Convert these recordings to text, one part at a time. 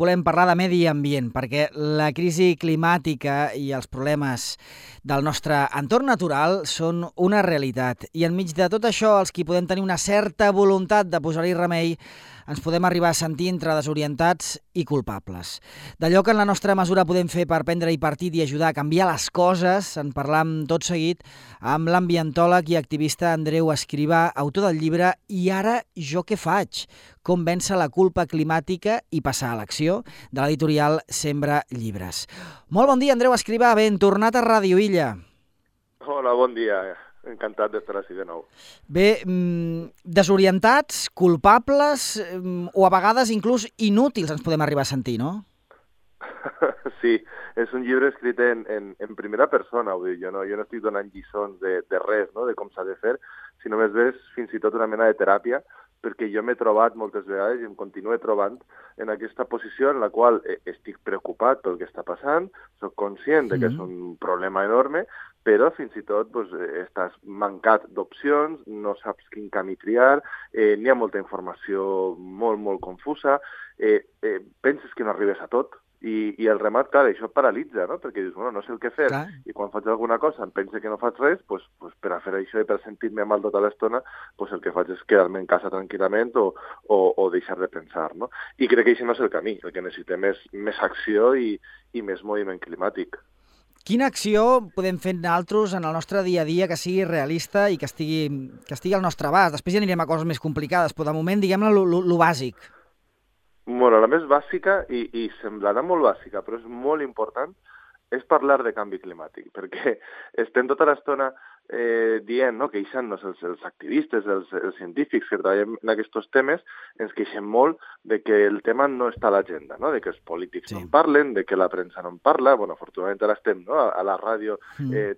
volem parlar de medi ambient, perquè la crisi climàtica i els problemes del nostre entorn natural són una realitat. I enmig de tot això, els qui podem tenir una certa voluntat de posar-hi remei, ens podem arribar a sentir entre desorientats i culpables. D'allò que en la nostra mesura podem fer per prendre-hi partit i ajudar a canviar les coses, en parlam tot seguit amb l'ambientòleg i activista Andreu Escrivà, autor del llibre I ara jo què faig? Com vèncer la culpa climàtica i passar a l'acció, de l'editorial Sembra Llibres. Molt bon dia, Andreu Escrivà, ben tornat a Ràdio Illa. Hola, bon dia. Encantat d'estar així de nou. Bé, desorientats, culpables o a vegades inclús inútils ens podem arribar a sentir, no? Sí, és un llibre escrit en primera persona, vull dir, jo no estic donant lliçons de res, no?, de com s'ha de fer, sinó més bé fins i tot una mena de teràpia, perquè jo m'he trobat moltes vegades i em continuo trobant en aquesta posició en la qual estic preocupat pel que està passant, soc conscient de que és un problema enorme, però fins i tot estàs mancat d'opcions, no saps quin camí triar, n'hi ha molta informació molt, molt confusa, penses que no arribes a tot, i el remat, clar, això paralitza, no? Perquè dius, bueno, no sé el que fer, clar. I quan faig alguna cosa em penso que no faig res, pues per a fer això i per sentir-me mal tota l'estona, el que faig és quedar-me en casa tranquil·lament o deixar de pensar, no? I crec que això no és el camí, el que necessitem és més acció i més moviment climàtic. Quina acció podem fer nosaltres en el nostre dia a dia que sigui realista i que estigui al nostre abast? Després ja anirem a coses més complicades, però de moment, diguem-ne, lo bàsic. Bueno, la més bàsica, i semblarà molt bàsica, però és molt important, és parlar de canvi climàtic, perquè estem tota l'estona dient, no?, queixant-nos els activistes, els científics que treballem en aquests temes, ens queixem molt de que el tema no està a l'agenda, no?, de que els polítics no en parlen, de que la premsa no en parla, bueno, afortunadament ara estem, no?, a la ràdio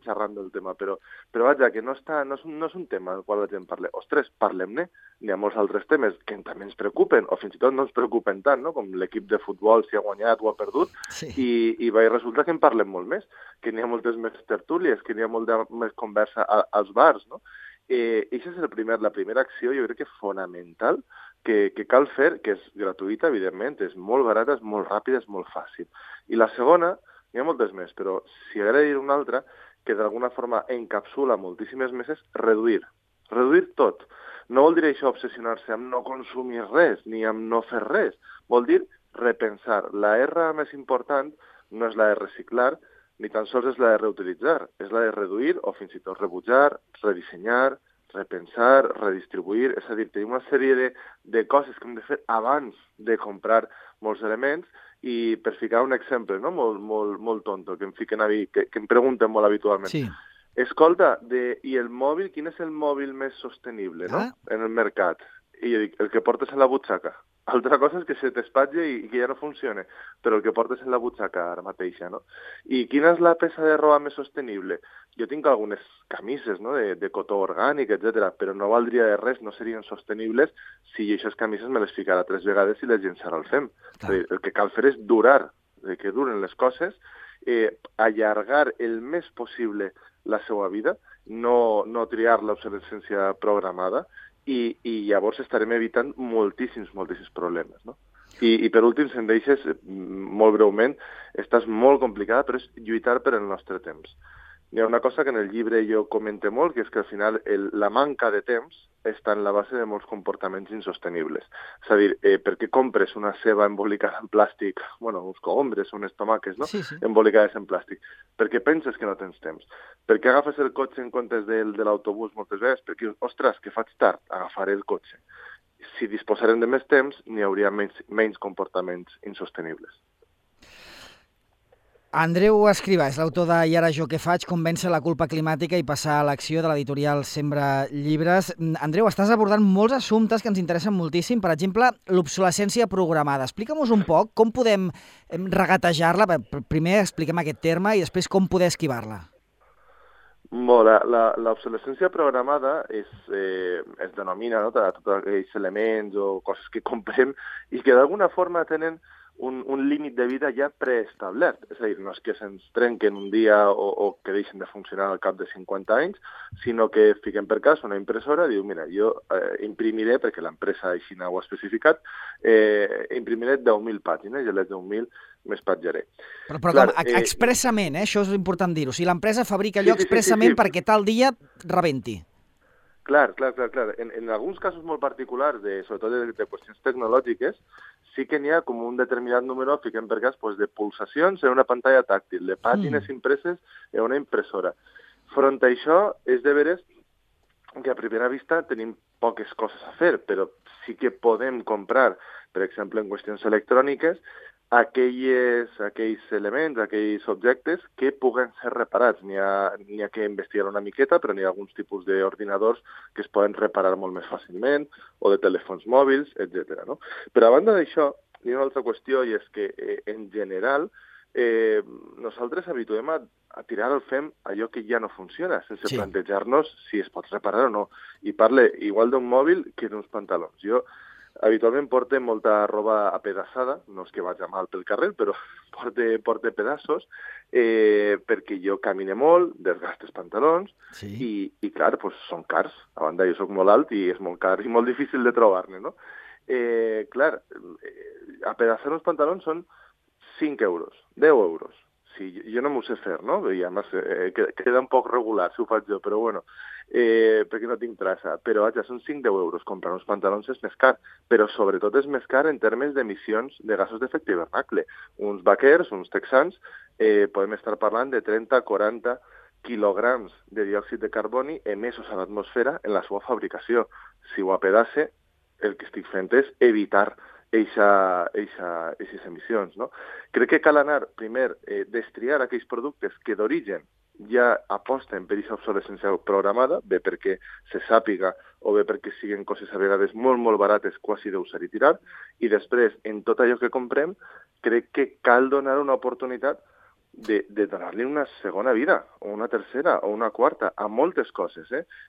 xerrant del tema, però vaja, que no és un tema del qual la gent parla. Ostres, parlem-ne, hi ha molts altres temes que també ens preocupen, o fins i tot no ens preocupen tant, no?, com l'equip de futbol, si ha guanyat o ha perdut, i resulta que en parlem molt més, que n'hi ha moltes més tertúlies, que n'hi ha molta més conversa als bars, no? Això és la primera acció, jo crec que fonamental, que cal fer, que és gratuïta, evidentment, és molt barata, és molt ràpida, és molt fàcil. I la segona, hi ha moltes més, però si hagués de dir una altra, que d'alguna forma encapsula moltíssimes més, és reduir tot. No vol dir això obsessionar-se amb no consumir res, ni amb no fer res, vol dir repensar. La R més important no és la de reciclar, ni tan sols és la de reutilitzar, és la de reduir o fins i tot rebutjar, redissenyar, repensar, redistribuir, és a dir, tenim una sèrie de coses que hem de fer abans de comprar molts elements i per ficar un exemple, no?, molt tonto, que em fiquen a mi, que em pregunten molt habitualment. Sí. Escolta, i el mòbil, quin és el mòbil més sostenible, no?, en el mercat? I jo dic, el que portes en la butxaca. Altra cosa és que se t'espatlle i que ja no funcione, però el que portes en la butxaca ara mateixa, no? I quina és la peça de roba més sostenible? Jo tinc algunes camises, no?, de cotó orgànic, etc., però no valdria de res, no serien sostenibles si jo aquestes camises me les ficara 3 vegades i les llençara al fem. El que cal fer és durar, que duren les coses, allargar el més possible la seva vida, no triar l'obsolescència programada, i llavors estarem evitant moltíssims problemes, no? I per últim, si em deixes, molt breument, esta és molt complicada, però és lluitar per el nostre temps. Hi ha una cosa que en el llibre jo comente molt, que és que al final la manca de temps està en la base de molts comportaments insostenibles. És a dir, per què compres una ceba embolicada en plàstic, bueno, uns cogombres, unes tomaques, no?, embolicades en plàstic? Perquè penses que no tens temps. Per què agafes el cotxe en comptes de l'autobús moltes vegades? Perquè, ostres, que faig tard, agafaré el cotxe. Si disposarem de més temps, n'hi hauria menys comportaments insostenibles. Andreu Escrivà és l'autor de I ara jo què faig? Com vèncer la culpa climàtica i passar a l'acció, de l'editorial Sembra Llibres. Andreu, estàs abordant molts assumptes que ens interessen moltíssim. Per exemple, l'obsolescència programada. Explica'm-nos un poc com podem regatejar-la. Primer expliquem aquest terme i després com poder esquivar-la. L'obsolescència programada es denomina, no?, tots aquells elements o coses que comprem i que d'alguna forma tenen un límit de vida ja preestablert. És a dir, no és que se'ns trenquen un dia o que deixen de funcionar al cap de 50 anys, sinó que fiquem per cas una impressora, diu, mira, jo imprimiré, perquè l'empresa així ho ha especificat, imprimiré 10.000 pàgines i a les 10.000 m'espatjaré. Però clar, com expressament, això és important dir-ho. Si l'empresa fabrica allò expressament perquè tal dia rebenti. Clar. En alguns casos molt particulars, sobretot de qüestions tecnològiques, sí que n'hi ha com un determinat número, fiquem per cas, de pulsacions en una pantalla tàctil, de pàgines impreses en una impressora. Front a això, és de veres que a primera vista tenim poques coses a fer, però sí que podem comprar, per exemple, en qüestions electròniques, aquells elements, aquells objectes que puguen ser reparats. N'hi ha que investigar una miqueta, però n'hi ha alguns tipus d'ordinadors que es poden reparar molt més fàcilment, o de telèfons mòbils, etc. No? Però a banda d'això, hi ha una altra qüestió, i és que, en general, nosaltres habituem a tirar al fem allò que ja no funciona, sense plantejar-nos si es pot reparar o no. I parle igual d'un mòbil que d'uns pantalons. Jo habitualment porte molta roba apedaçada, no és que vaig a mal pel carrer, però porte pedaços, perquè jo camine molt, desgaste els pantalons, i clar, són cars. A banda, jo soc molt alt i és molt car i molt difícil de trobar-ne, no? Clar, apedaçar uns pantalons són 5 euros, 10 euros. Sí, jo no m'ho sé fer, no? I a més, queda un poc regular si ho faig jo, però bueno, perquè no tinc traça. Però, vaja, són 5-10 euros. Comprar uns pantalons és més car, però sobretot és més car en termes d'emissions de gasos d'efecte hivernacle. Uns vaquers, uns texans, podem estar parlant de 30-40 quilograms de diòxid de carboni emesos a l'atmosfera en la seva fabricació. Si ho apedace, el que estic fent és evitar aquestes emissions, no? Crec que cal anar, primer, destriar aquells productes que d'origen ja aposten per aquesta obsolescència programada, bé perquè se sàpiga o bé perquè siguin coses a vegades molt, molt barates, quasi d'usar i tirar, i després, en tot allò que comprem, crec que cal donar una oportunitat de donar-li una segona vida, o una tercera, o una quarta, a moltes coses,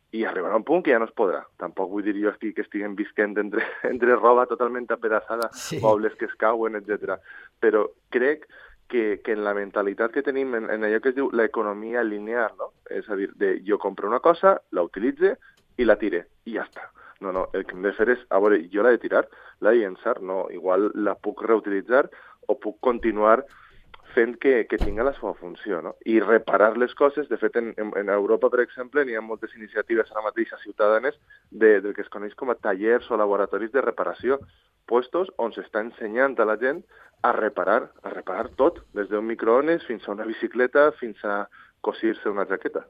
i arribarà un punt que ja no es podrà. Tampoc vull dir jo aquí que estiguem visquent entre roba totalment apedaçada, mobles que es cauen, etc. Però crec que en la mentalitat que tenim, en allò que es diu l'economia lineal, no? És a dir, jo compro una cosa, la utilitze i la tire, i ja està. No, el que hem de fer és, a veure, jo l'he de tirar, l'he de llençar, no, igual la puc reutilitzar o puc continuar fent que tinga la seva funció, no? I reparar les coses. De fet, en Europa, per exemple, n'hi ha moltes iniciatives ara mateix a ciutadanes del que es coneix com a tallers o laboratoris de reparació, puestos on s'està ensenyant a la gent a reparar tot, des d'un microones fins a una bicicleta, fins a cosir-se una jaqueta.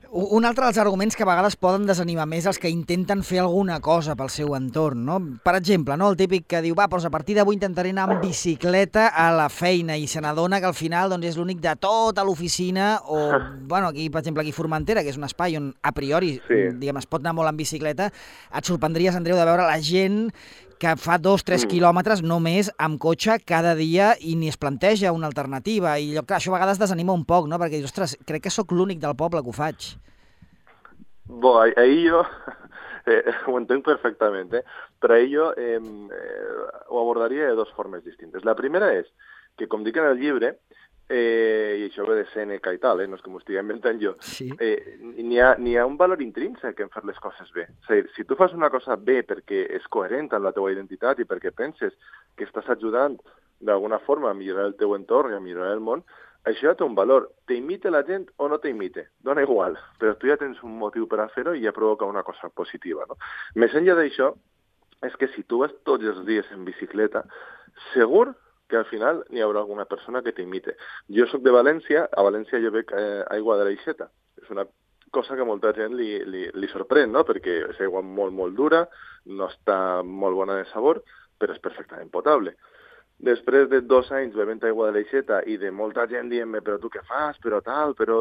Un altre dels arguments que a vegades poden desanimar més els que intenten fer alguna cosa pel seu entorn, no? Per exemple, no? El típic que diu, doncs a partir d'avui intentaré anar amb bicicleta a la feina, i se n'adona que al final és l'únic de tota l'oficina, o, aquí, per exemple, aquí a Formentera, que és un espai on a priori, diguem, es pot anar molt amb bicicleta, et sorprendries, Andreu, de veure la gent que fa 2-3 quilòmetres només amb cotxe cada dia i ni es planteja una alternativa. I clar, això a vegades desanima un poc, no? Perquè dius, ostres, crec que sóc l'únic del poble que ho faig. Ahí jo ho entenc perfectament, però ahí jo ho abordaria de dues formes distintes. La primera és que, com dic en el llibre, i això ve de Sèneca i tal, no és que m'ho estigui inventant jo, n'hi ha un valor intrínsec en fer les coses bé. És a dir, si tu fas una cosa bé perquè és coherent amb la teva identitat i perquè penses que estàs ajudant d'alguna forma a millorar el teu entorn i a millorar el món, això ja té un valor. T'imite la gent o no t'imite, dona igual, però tu ja tens un motiu per a fer-ho i ja provoca una cosa positiva, no? Més enllà d'això, és que si tu vas tots els dies en bicicleta, segur que al final n'hi haurà alguna persona que t'imite. Jo sóc de València, a València jo bec aigua de l'aixeta. És una cosa que a molta gent li sorprèn, no? Perquè és aigua molt, molt dura, no està molt bona de sabor, però és perfectament potable. Després de 2 anys bevent aigua de l'aixeta i de molta gent dient-me, però tu què fas, però tal, però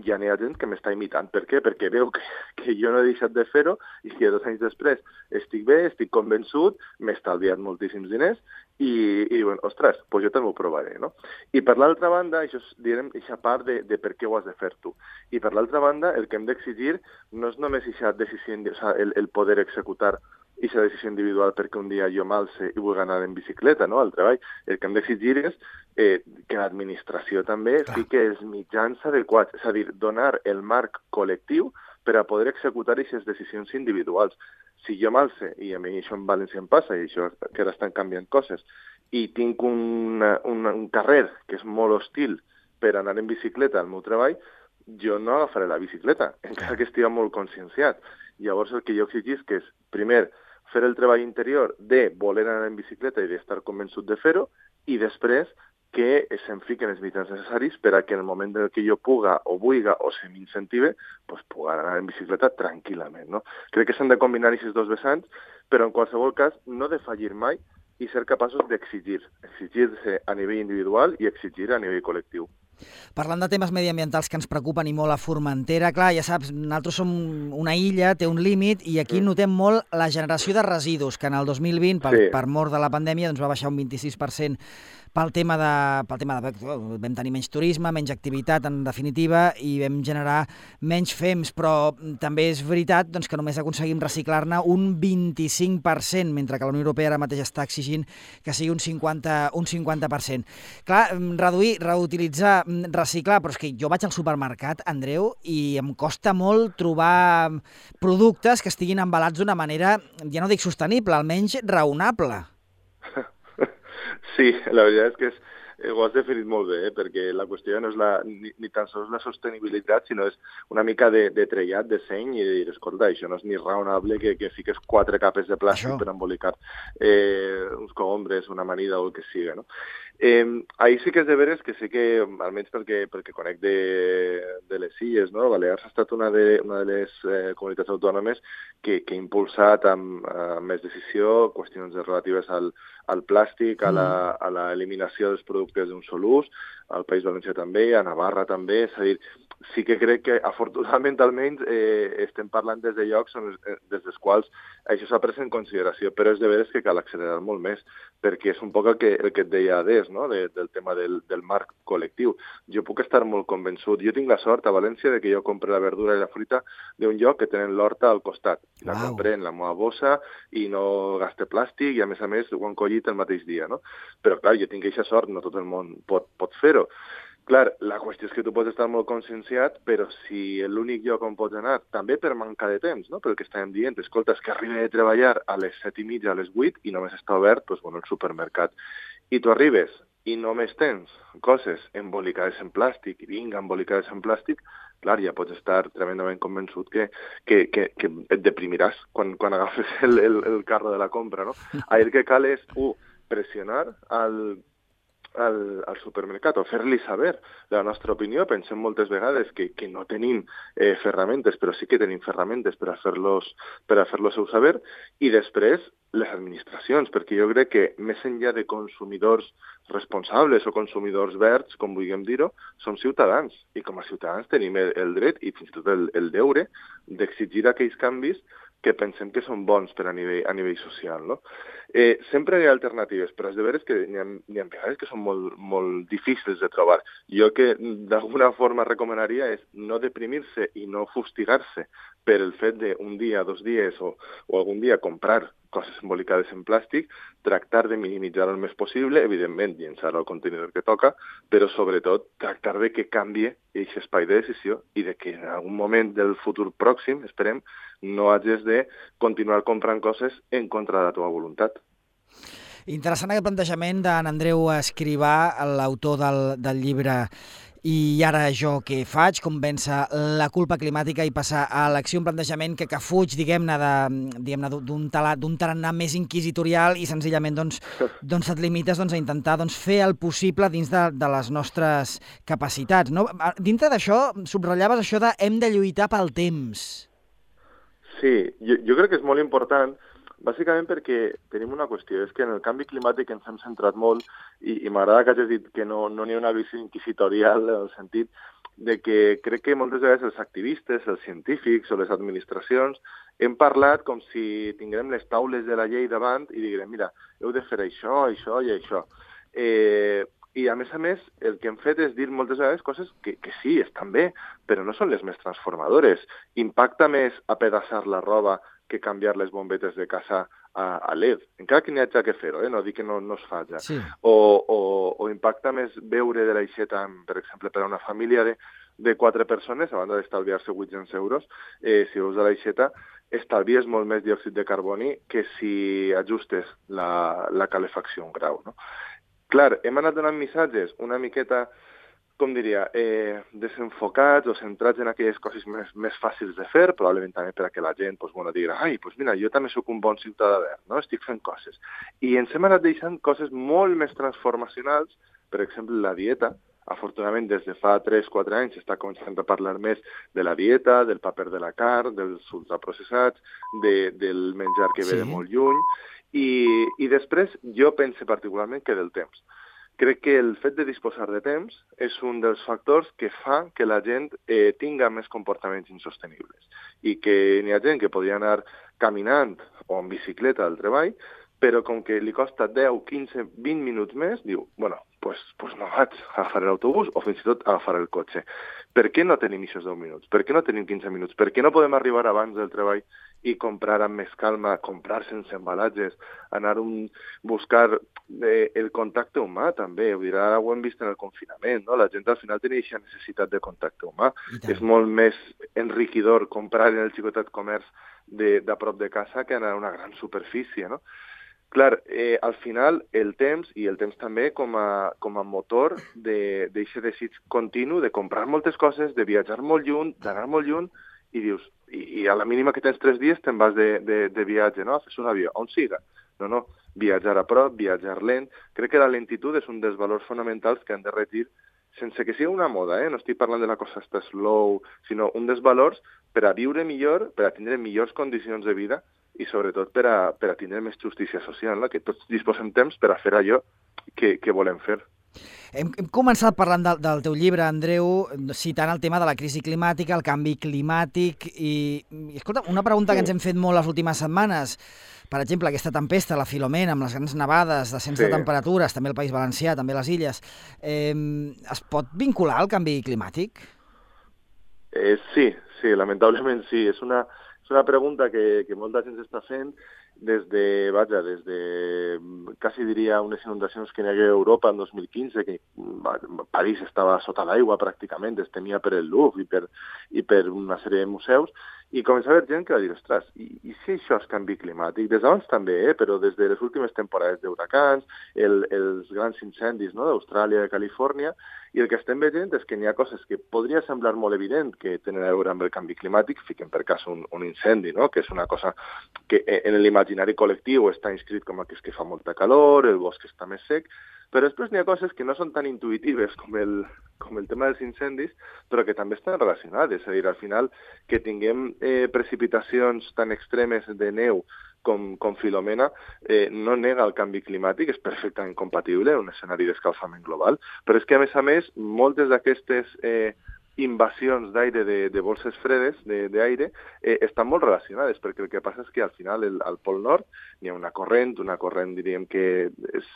ja n'hi ha gent que m'està imitant. Per què? Perquè veu que jo no he deixat de fer-ho i que 2 anys després estic bé, estic convençut, m'he estalviat moltíssims diners i diuen, ostres, doncs jo també ho provaré, no? I per l'altra banda, això és, direm, aquesta part de per què ho has de fer tu. I per l'altra banda, el que hem d'exigir no és només aquesta decisió, el poder executar i la decisió individual perquè un dia jo m'alce i vull anar en bicicleta, no?, al treball. El que hem d'exigir és que l'administració també fique els mitjans adequats, és a dir, donar el marc col·lectiu per a poder executar aquestes decisions individuals. Si jo m'alce, i a mi això en València em passa, i això que ara estan canviant coses, i tinc un carrer que és molt hostil per anar en bicicleta al meu treball, jo no agafaré la bicicleta, encara que estigui molt conscienciat. Llavors el que jo exigisc és, primer, fer el treball interior de voler anar en bicicleta i d'estar convençut de fer-ho, i després que se'm fiquen els mitjans necessaris per a que en el moment en què jo puga o vulga o se m'incentive, pues, puga anar en bicicleta tranquil·lament, no? Crec que s'han de combinar aquests dos vessants, però en qualsevol cas no defallir mai i ser capaços d'exigir, exigir-se a nivell individual i exigir a nivell col·lectiu. Parlant de temes mediambientals que ens preocupen i molt a Formentera, clar, ja saps, nosaltres som una illa, té un límit, i aquí notem molt la generació de residus, que en el 2020, per mort de la pandèmia, doncs va baixar un 26% pel tema de vam tenir menys turisme, menys activitat, en definitiva, i vam generar menys fems, però també és veritat doncs, que només aconseguim reciclar-ne un 25%, mentre que la Unió Europea ara mateix està exigint que sigui un 50%. Clar, reduir, reutilitzar, reciclar, però és que jo vaig al supermercat, Andreu, i em costa molt trobar productes que estiguin embalats d'una manera, ja no dic sostenible, almenys raonable. Sí, la veritat és que ho has definit molt bé, perquè la qüestió no és ni tan sols la sostenibilitat, sinó és una mica de trellat, de seny, i de dir, escolta, això no és ni raonable que fiques 4 capes de plàstic per embolicar uns cogombres, una amanida o el que siga, no? Ahir sí que és de veres que sé que, almenys perquè conec de les Illes, no? Balears ha estat una de les comunitats autònomes que ha impulsat amb més decisió qüestions relatives al plàstic, a l'eliminació dels productes d'un sol ús, al País Valencià també, a Navarra també, és a dir, sí que crec que afortunadament almenys estem parlant des de llocs des dels quals això s'ha pres en consideració, però és de veres que cal accelerar molt més, perquè és un poc el que et deia Adés, no? Del tema del marc col·lectiu. Jo puc estar molt convençut. Jo tinc la sort a València de que jo compre la verdura i la fruita d'un lloc que tenen l'horta al costat. La compré en la meva bossa i no gaste plàstic i a més ho han collit el mateix dia, no? Però clar, jo tinc aquesta sort, no tot el món pot fer-ho. Clar, la qüestió és que tu pots estar molt conscienciat, però si l'únic lloc on pots anar, també per manca de temps, no? Pel que estàvem dient, escolta, és que arriba de treballar a les 7:30, a les 8, i només està obert, doncs, bueno, el supermercat. I tu arribes i només tens coses embolicades en plàstic, i vinga, embolicades en plàstic, clar, ja pots estar tremendament convençut que et deprimiràs quan agafes el carro de la compra, no? Ahir el que cal és, pressionar al supermercat o fer-li saber la nostra opinió. Pensem moltes vegades que no tenim ferramentes, però sí que tenim ferramentes per a fer-los saber, i després les administracions, perquè jo crec que més enllà de consumidors responsables o consumidors verds, com vulguem dir-ho, som ciutadans, i com a ciutadans tenim el dret i fins i tot el deure d'exigir aquells canvis que pensem que són bons per a nivell social, no? Sempre hi ha alternatives, però és de veres que n'hi ha vegades que són molt, molt difícils de trobar. Jo que d'alguna forma recomanaria és no deprimir-se i no fustigar-se per el fet d'un dia, 2 dies o algun dia comprar coses embolicades en plàstic, tractar de minimitzar el més possible, evidentment llençar al contenidor que toca, però sobretot tractar de que canvie aquest espai de decisió i de que en algun moment del futur pròxim, esperem, no hagis de continuar comprant coses en contra de la teva voluntat. Interessant aquest plantejament d'en Andreu Escrivà, l'autor del llibre I ara jo què faig? Com vèncer la culpa climàtica i passar a l'acció, un plantejament que fuig, diguem-ne, d'un tarannà més inquisitorial i senzillament doncs et limites a intentar fer el possible dins de les nostres capacitats, no? Dintre d'això, subratllaves això de hem de lluitar pel temps. Sí, jo crec que és molt important, bàsicament perquè tenim una qüestió, és que en el canvi climàtic ens hem centrat molt i m'agrada que hagis dit que no n'hi ha una visió inquisitorial en el sentit de que crec que moltes vegades els activistes, els científics o les administracions hem parlat com si tinguem les taules de la llei davant i diguem, mira, heu de fer això, això i això. I a més, el que hem fet és dir moltes vegades coses que sí, estan bé, però no són les més transformadores. Impacta més apedaçar la roba que canviar les bombetes de casa a LED, encara que n'hi hagi que fer-ho, no dic que no es faci. Sí. O impacta més beure de l'aixeta, per exemple, per a una família de 4 persones, a banda d'estalviar-se 800 euros, si veus de l'aixeta, estalvies molt més diòxid de carboni que si ajustes la calefacció a un grau, no? Clar, hem anat donant missatges una miqueta, com diria, desenfocats o centrats en aquelles coses més fàcils de fer, probablement també per a que la gent digui, ai, doncs mira, jo també sóc un bon ciutadà verd, no? Estic fent coses. I ens hem anat deixant coses molt més transformacionals, per exemple, la dieta. Afortunadament, des de fa 3-4 anys s'està començant a parlar més de la dieta, del paper de la carn, dels ultraprocessats, del menjar que ve de molt lluny, i després jo penso particularment que del temps. Crec que el fet de disposar de temps és un dels factors que fa que la gent tinga més comportaments insostenibles i que n'hi ha gent que podria anar caminant o en bicicleta al treball, però com que li costa 10, 15, 20 minuts més, diu, bueno, pues no vaig, agafaré l'autobús o fins i tot agafaré el cotxe. Per què no tenim aquests 10 minuts? Per què no tenim 15 minuts? Per què no podem arribar abans del treball i comprar amb més calma, comprar sense embalatges, anar a buscar el contacte humà també? Vull dir, ara ho hem vist en el confinament, no? La gent al final tenia aquesta necessitat de contacte humà. És molt més enriquidor comprar en el xicotet comerç de prop de casa que anar a una gran superfície, no? Clar, al final el temps, i el temps també com a motor d'aquest desig continu de comprar moltes coses, de viatjar molt lluny, d'anar molt lluny, i dius, i a la mínima que tens 3 dies te'n vas de viatge, no? Fes un avió, on siga. No, viatjar a prop, viatjar lent. Crec que la lentitud és un dels valors fonamentals que han de regir, sense que sigui una moda, no estic parlant de la cosa està slow, sinó un dels valors per a viure millor, per a tindre millors condicions de vida, i sobretot per a tindre més justícia social, no? Que tots disposem temps per a fer allò que volem fer. Hem començat parlant del teu llibre, Andreu, citant el tema de la crisi climàtica, el canvi climàtic, i escolta, una pregunta que ens hem fet molt les últimes setmanes, per exemple, aquesta tempesta, la Filomena, amb les grans nevades, descens de temperatures, també el País Valencià, també les Illes, es pot vincular al canvi climàtic? Sí, lamentablement sí. És una pregunta que molta gent està fent des de quasi diria unes inundacions que hi havia a Europa en 2015, que París estava sota l'aigua pràcticament, es temia per el Louvre i per una sèrie de museus, i comença a haver gent que va dir, ostres, i si això és canvi climàtic? Des d'abans també, però des de les últimes temporades d'huracans, els grans incendis, no?, d'Austràlia i de Califòrnia, i el que estem veient és que n'hi ha coses que podria semblar molt evident que tenen a veure amb el canvi climàtic, fiquem per cas un incendi, no?, que és una cosa que en l'imaginari col·lectiu està inscrit com que és que fa molta calor, el bosc està més sec, però després n'hi ha coses que no són tan intuïtives com el tema dels incendis, però que també estan relacionades. És a dir, al final, que tinguem precipitacions tan extremes de neu com Filomena, no nega el canvi climàtic, és perfectament compatible en un escenari d'escalfament global, però és que, a més, moltes d'aquestes invasions d'aire de bolses fredes d'aire estan molt relacionades, perquè el que passa és que al final al Pol Nord hi ha una corrent diríem que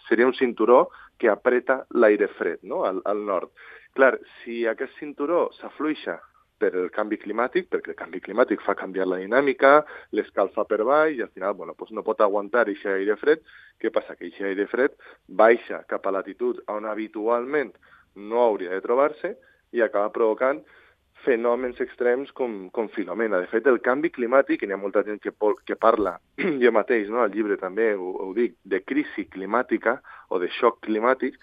seria un cinturó que apreta l'aire fred, no?, al nord. Clar, si aquest cinturó s'afluixa per el canvi climàtic, perquè el canvi climàtic fa canviar la dinàmica, l'escalfa per baix i al final no pot aguantar aquest aire fred. Què passa? Que aquest aire fred baixa cap a latitud on habitualment no hauria de trobar-se i acaba provocant fenòmens extrems com Filomena. De fet, el canvi climàtic, i n'hi ha molta gent que parla, jo mateix, no?, al llibre també ho dic, de crisi climàtica o de xoc climàtic,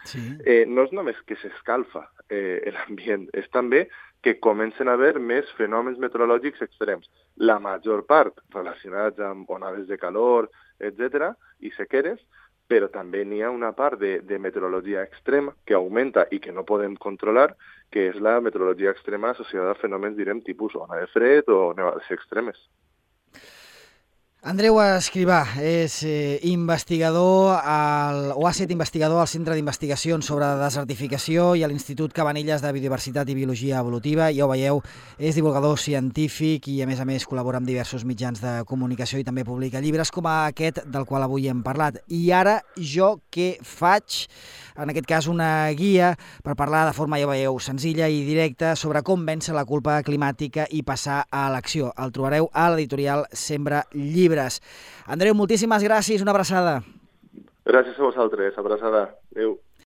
no és només que s'escalfa l'ambient, és també que comencen a haver més fenòmens meteorològics extrems. La major part relacionats amb onades de calor, etc., i sequeres, però també n'hi ha una part de meteorologia extrema que augmenta i que no podem controlar, que és la meteorologia extrema associada a fenòmens, direm, tipus ona de fred o nevades extremes. Andreu Escrivà és investigador, o ha estat investigador al Centre d'Investigacions sobre Desertificació i a l'Institut Cabanelles de Biodiversitat i Biologia Evolutiva. Ja ho veieu, és divulgador científic i a més col·labora amb diversos mitjans de comunicació i també publica llibres com aquest del qual avui hem parlat. I ara jo què faig? En aquest cas una guia per parlar de forma, ja veieu, senzilla i directa sobre com vèncer la culpa climàtica i passar a l'acció. El trobareu a l'editorial Sembra Llibres. Andreu, moltíssimes gràcies, una abraçada. Gràcies a vosaltres, abraçada. Adéu.